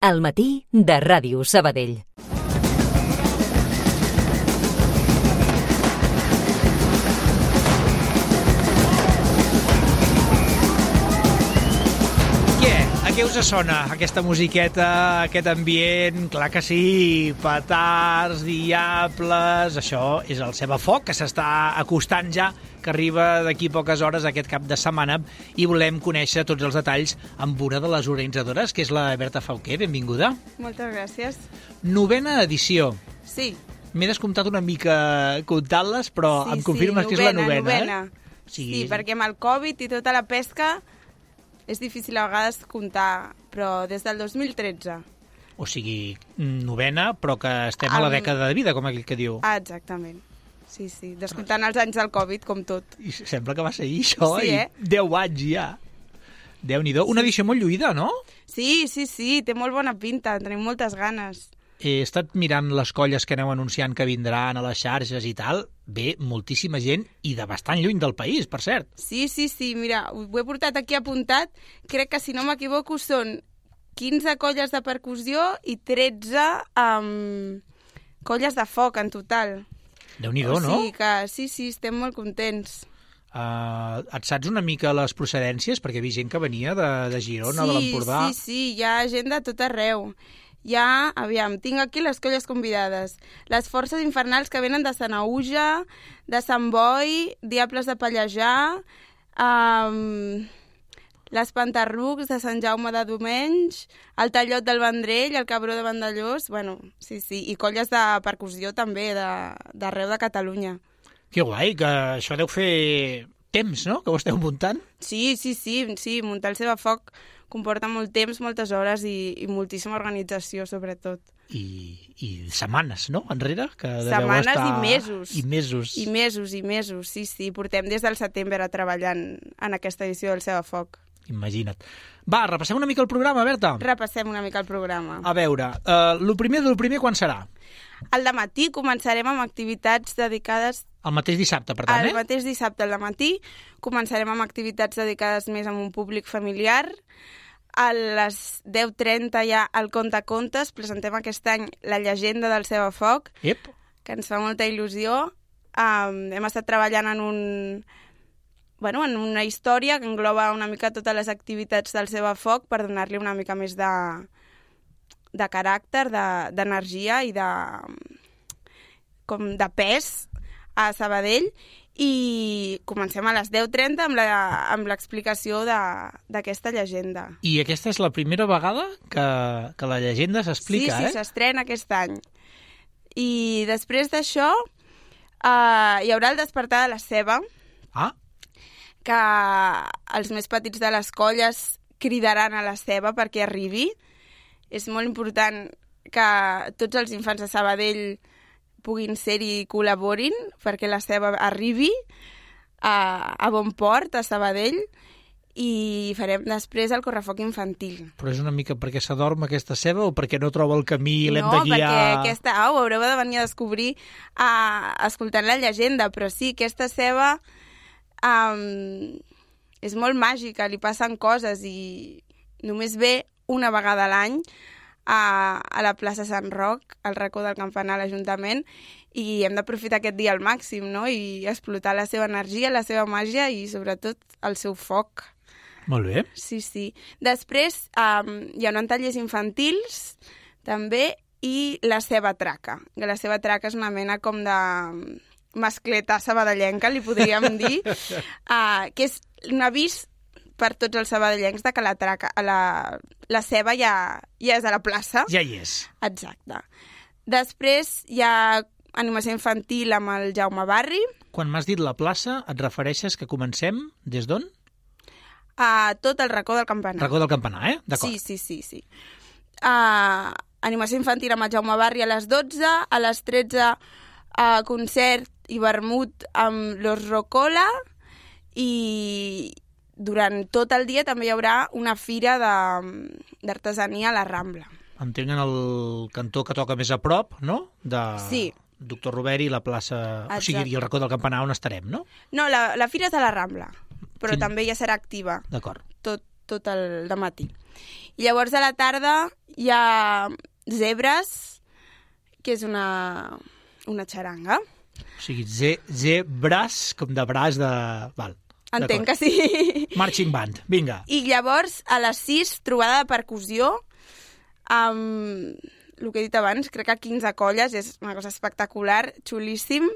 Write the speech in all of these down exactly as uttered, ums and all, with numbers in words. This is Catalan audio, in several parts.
Al matí de Ràdio Sabadell. A què us sona aquesta musiqueta, aquest ambient? Clar que sí, petards, diables... Això és el Cebafoc, que s'està acostant ja, que arriba d'aquí poques hores aquest cap de setmana, i volem conèixer tots els detalls amb una de les organitzadores, que és la Berta Fauquer. Benvinguda. Moltes gràcies. Novena edició. Sí. M'he descomptat una mica comptant-les, però sí, em confirmes sí, novena, que és la novena, novena. eh? Sí, sí, perquè amb el Covid i tota la pesca és difícil a vegades comptar, però des del dos mil tretze. O sigui, novena, però que estem a la dècada de vida, com aquell que diu. Ah, exactament. Sí, sí, descomptant els anys del Covid, com tot. I sembla que va ser això, sí, eh? i deu anys ja. Déu-n'hi-do. Una edició molt lluïda, no? Sí, sí, sí, té molt bona pinta, tenim moltes ganes. He estat mirant les colles que aneu anunciant que vindran a les xarxes i tal. Ve moltíssima gent i de bastant lluny del país, per cert. Sí, sí, sí, mira, ho he portat aquí apuntat. Crec que, si no m'equivoco, són quinze colles de percussió i tretze um, colles de foc en total. Déu-n'hi-do, no? O sigui que sí, sí, estem molt contents. Uh, et saps una mica les procedències? Perquè hi ha gent que venia de, de Girona, sí, de l'Empordà. Sí, sí, hi ha gent de tot arreu. Ja, aviam, tinc aquí les colles convidades. Les Forces Infernals, que venen de Sanaüja, de Sant Boi, Diables de Pallejà, um, les Pantarrucs de Sant Jaume de Domenys, el Tallot del Vendrell, el Cabró de Vandellós, bueno, sí, sí, i colles de percussió també, d'arreu de, de Catalunya. Que guai, que això deu fer temps, no?, que ho esteu muntant. Sí, sí, sí, sí, muntar el Cebafoc comporta molt temps, moltes hores i, i moltíssima organització, sobretot. I, i setmanes, no?, enrere? Que setmanes estar... i mesos. I mesos. I mesos, i mesos, sí, sí. Portem des del setembre treballant en aquesta edició del Cebafoc. Imagina't. Va, repassem una mica el programa, Berta. Repassem una mica el programa. A veure, uh, el primer del primer quan serà? Al dematí començarem amb activitats dedicades... El mateix dissabte, per tant, el eh? El mateix dissabte al dematí començarem amb activitats dedicades més a un públic familiar. A les deu trenta ja al Contacontes presentem aquest any la llegenda del Cebafoc, Yep. que ens fa molta il·lusió. Um, hem estat treballant en un... Bueno, en una història que engloba una mica totes les activitats del Cebafoc per donar-li una mica més de, de caràcter, d'energia de, i de, com de pes a Sabadell, i comencem a les deu trenta amb l'explicació d'aquesta llegenda. I aquesta és la primera vegada que, que la llegenda s'explica, sí, sí, eh? Sí, s'estrena aquest any. I després d'això uh, hi haurà el despertar de la ceba, ah. que els més petits de les colles cridaran a la ceba perquè arribi. És molt important que tots els infants de Sabadell puguin ser-hi i col·laborin perquè la ceba arribi a, a bon port, a Sabadell, i farem després el correfoc infantil. Però és una mica perquè s'adorm aquesta ceba o perquè no troba el camí i l'hem de guiar? No, perquè aquesta au oh, haureu de venir a descobrir uh, escoltant la llegenda, però sí, aquesta ceba um, és molt màgica, li passen coses i només ve una vegada a l'any a, a la plaça Sant Roc, al racó del campanar a l'Ajuntament, i hem d'aprofitar aquest dia al màxim, no?, i explotar la seva energia, la seva màgia i sobretot el seu foc. Molt bé. Sí, sí. Després um, hi ha tallers infantils també i la ceba traca. La ceba traca és una mena com de mascleta sabadellenca, li podríem dir, uh, que és un avís per tots els sabadellencs de que la, traca, la, la ceba ja, ja és a la plaça. Ja hi és. Exacte. Després hi ha animació infantil amb el Jaume Barri. Quan m'has dit la plaça, et refereixes que comencem des d'on? A tot el racó del campanar. Racó del campanar, eh? D'acord. Sí, sí, sí. sí. Uh, animació infantil amb el Jaume Barri a les dotze, a les tretze uh, concert i vermut amb l'Os Rocola, i durant tot el dia també hi haurà una fira d'artesania a la Rambla. Entenc en el cantó que toca més a prop, no? De... Sí. Doctor Roveri, la plaça... Exacte. O sigui, i el racó del campanar on estarem, no? No, la, la fira és a la Rambla, però Quin... també ja serà activa. D'acord. Tot, tot el dematí. I llavors a la tarda hi ha zebres, que és una, una xaranga. O sigui, ze, zebres, com de braç de... Val, entenc que sí. Marching band, vinga. I llavors, a les sis, trobada de percussió, amb el que he dit abans, crec que quinze colles, és una cosa espectacular, xulíssim.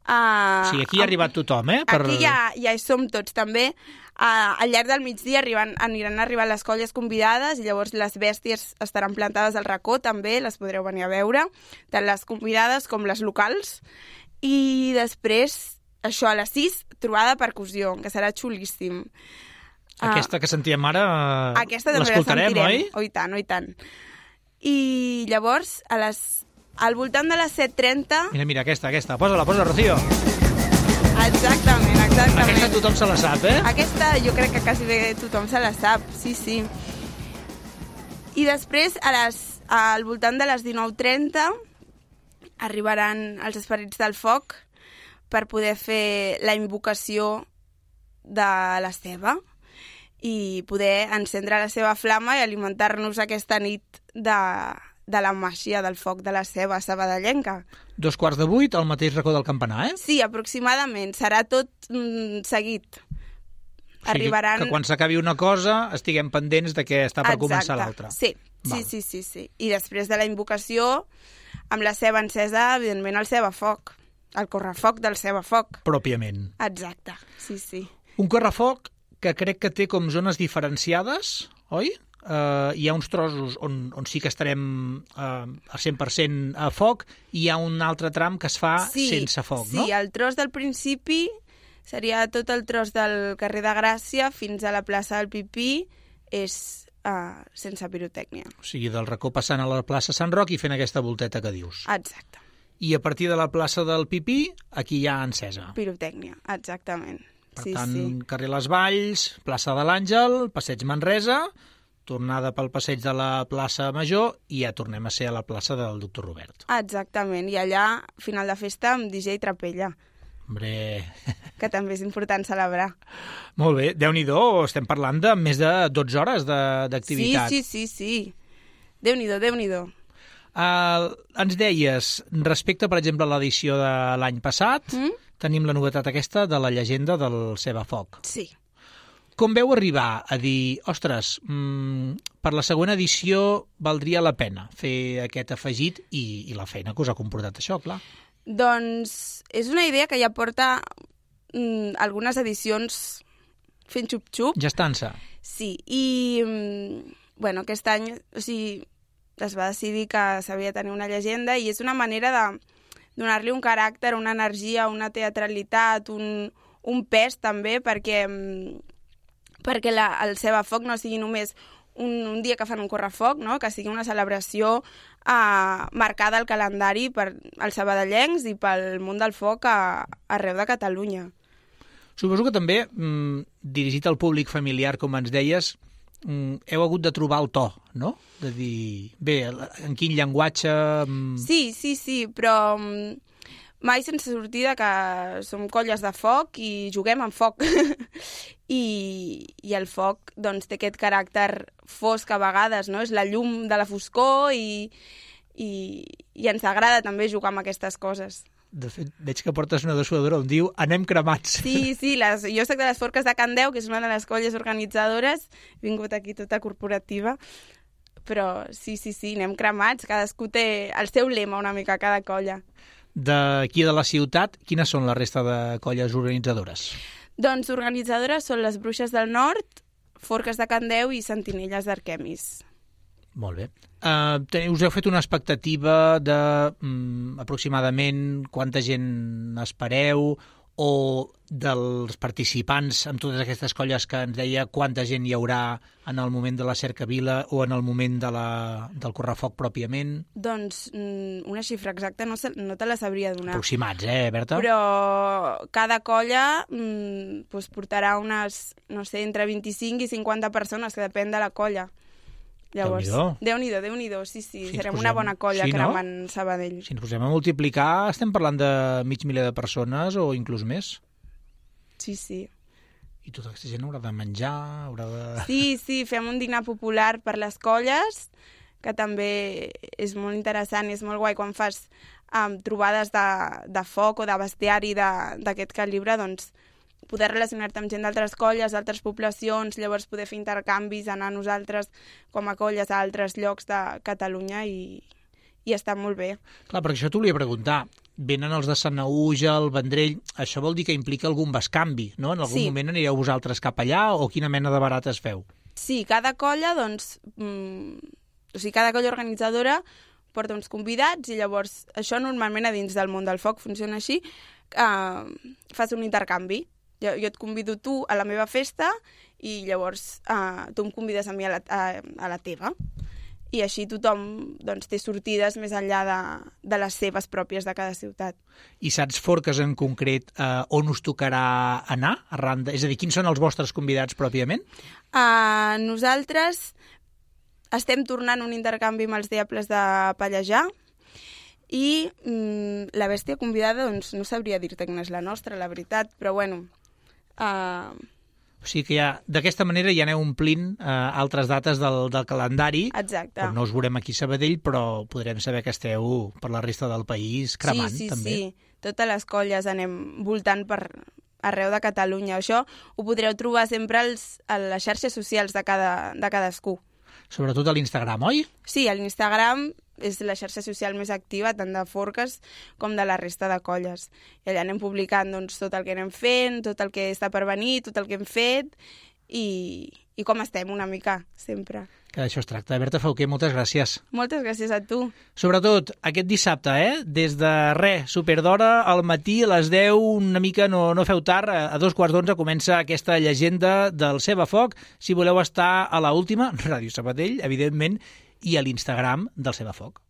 Uh, o sigui, aquí hi ha arribat tothom, eh? Per... Aquí ja, ja hi som tots, també. Uh, al llarg del migdia arriben, aniran arribant les colles convidades i llavors les bèsties estaran plantades al racó, també, les podreu venir a veure, tant les convidades com les locals. I després, això, a les sis, trobada de percussió, que serà xulíssim. Aquesta que sentíem ara, uh, aquesta també l'escoltarem, la oi? Oh, i tant, oh, i tant. I llavors, a les, al voltant de les set trenta... Mira, mira, aquesta, aquesta. Posa-la, posa-la, Rocío. Exactament, exactament. Aquesta tothom se la sap, eh? Aquesta jo crec que quasi bé tothom se la sap, sí, sí. I després, a les, al voltant de les dinou trenta, arribaran els esperits del foc per poder fer la invocació de la ceba i poder encendre la seva flama i alimentar-nos aquesta nit de, de la màgia del foc de la ceba sabadellenca. Dos quarts de vuit, al mateix racó del campanar, eh? Sí, aproximadament. Serà tot mm, seguit. O sigui, Arribaran... que quan s'acabi una cosa estiguem pendents de què està per Exacte. Començar l'altra. Sí, sí, sí, sí, sí. I després de la invocació, amb la ceba encesa, evidentment el cebafoc. El correfoc del cebafoc. Pròpiament. Exacte, sí, sí. Un correfoc que crec que té com zones diferenciades, oi? Uh, hi ha uns trossos on, on sí que estarem uh, al cent per cent a foc i hi ha un altre tram que es fa sí, sense foc, sí, no? Sí, el tros del principi seria tot el tros del carrer de Gràcia fins a la plaça del Pipí, és uh, sense pirotècnia. O sigui, del racó passant a la plaça Sant Roc i fent aquesta volteta que dius. Exacte. I a partir de la plaça del Pipí, aquí hi ha encesa. Pirotècnia, exactament. Per sí, tant, sí. carrer Les Valls, plaça de l'Àngel, passeig Manresa, tornada pel passeig de la plaça Major i ja tornem a ser a la plaça del doctor Robert. Exactament, i allà, final de festa, amb D J Trapella. Hombre... Que també és important celebrar. Molt bé, Déu-n'hi-do, estem parlant de més de dotze hores d'activitat. Sí, sí, sí, sí. Déu-n'hi-do, Déu-n'hi-do. Uh, ens deies, respecte, per exemple, a l'edició de l'any passat, mm? tenim la novetat aquesta de la llegenda del Cebafoc. Sí. Com veu arribar a dir, ostres, mmm, per la següent edició valdria la pena fer aquest afegit i, i la feina que us ha comportat això, clar? Doncs és una idea que ja porta mm, algunes edicions fent xup-xup. Gestant-se. Sí, i mm, bueno, aquest any o sigui, es va decidir que s'havia de tenir una llegenda i és una manera de donar-li un caràcter, una energia, una teatralitat, un, un pes també, perquè... Mm, perquè la, el Cebafoc no sigui només un, un dia que fan un correfoc, no? Que sigui una celebració eh, marcada al calendari per als sabadellencs i pel món del foc a, arreu de Catalunya. Suposo que també, mm, dirigit al públic familiar, com ens deies, mm, heu hagut de trobar el to, no? De dir, bé, en quin llenguatge... Mm... Sí, sí, sí, però... Mm, mai sense sortir de que som colles de foc i juguem amb foc. I, i el foc doncs, té aquest caràcter fosc a vegades, no? És la llum de la foscor i, i, i ens agrada també jugar amb aquestes coses. De fet, veig que portes una dessuadora on diu anem cremats. Sí, sí, les, jo soc de les Forques de Can Deu, que és una de les colles organitzadores. He vingut aquí tota corporativa. Però sí, sí, sí, anem cremats. Cadascú té el seu lema una mica, cada colla. D'aquí de la ciutat, quines són la resta de colles organitzadores? Doncs organitzadores són les Bruixes del Nord, Forques de Can Deu i Sentinelles d'Arquemis. Molt bé. Uh, us heu fet una expectativa de um, aproximadament quanta gent espereu o dels participants en totes aquestes colles que ens deia quanta gent hi haurà en el moment de la cercavila o en el moment de la, del correfoc pròpiament? Doncs una xifra exacta no, se, no te la sabria donar. Aproximats, eh, Berta? Però cada colla mm, pues portarà unes, no sé, entre vint-i-cinc i cinquanta persones, que depèn de la colla. Llavors, Déu-n'hi-do, Déu-n'hi-do, sí, sí, si serem posem... una bona colla sí, cremant no? Sabadell. Si ens posem a multiplicar, estem parlant de mig miler de persones o inclús més. Sí, sí. I tota aquesta gent haurà de menjar, haurà de... Sí, sí, fem un dinar popular per les colles, que també és molt interessant i és molt guai quan fas um, trobades de, de foc o de bestiari d'aquest calibre, doncs poder relacionar-te amb gent d'altres colles, d'altres poblacions, llavors poder fer intercanvis, anar nosaltres com a colles a altres llocs de Catalunya i, i està molt bé. Clar, perquè això t'ho volia preguntar. Venen els de Sanaüja, el Vendrell, això vol dir que implica algun bescanvi, no? En algun sí. moment anireu vosaltres cap allà o quina mena de barates feu? Sí, cada colla, doncs, mm, o sigui, cada colla organitzadora porta uns convidats i llavors això normalment a dins del món del foc funciona així, eh, fas un intercanvi. Jo, jo et convido tu a la meva festa i llavors eh, tu em convides a mi a la, a, a la teva. I així tothom doncs, té sortides més enllà de, de les seves pròpies de cada ciutat. I saps, Forques, en concret, eh, on us tocarà anar? Arran de... És a dir, quins són els vostres convidats pròpiament? Uh, nosaltres estem tornant un intercanvi amb els Diables de Pallejà i mm, la bèstia convidada, doncs no sabria dir-te quina és la nostra, la veritat, però bueno... Uh... O sigui que ja, d'aquesta manera ja aneu omplint eh, altres dates del, del calendari. Exacte. On no us veurem aquí a Sabadell, però podrem saber que esteu per la resta del país cremant, sí, sí, també. Sí, sí. Totes les colles anem voltant per arreu de Catalunya. Això ho podreu trobar sempre als, a les xarxes socials de, cada, de cadascú. Sobretot a l'Instagram, oi? Sí, a l'Instagram és la xarxa social més activa, tant de Forques com de la resta de colles. I allà anem publicant doncs, tot el que anem fent, tot el que està per venir, tot el que hem fet i, i com estem una mica, sempre. Que d'això es tracta. Berta Fauqué, moltes gràcies. Moltes gràcies a tu. Sobretot aquest dissabte, eh? Des de res, superdora, al matí a les deu, una mica no, no feu tard, a dos quarts d'onze comença aquesta llegenda del Ceba Foc. Si voleu estar a la última, Ràdio Sabadell, evidentment, i a l'Instagram del Ceba Foc.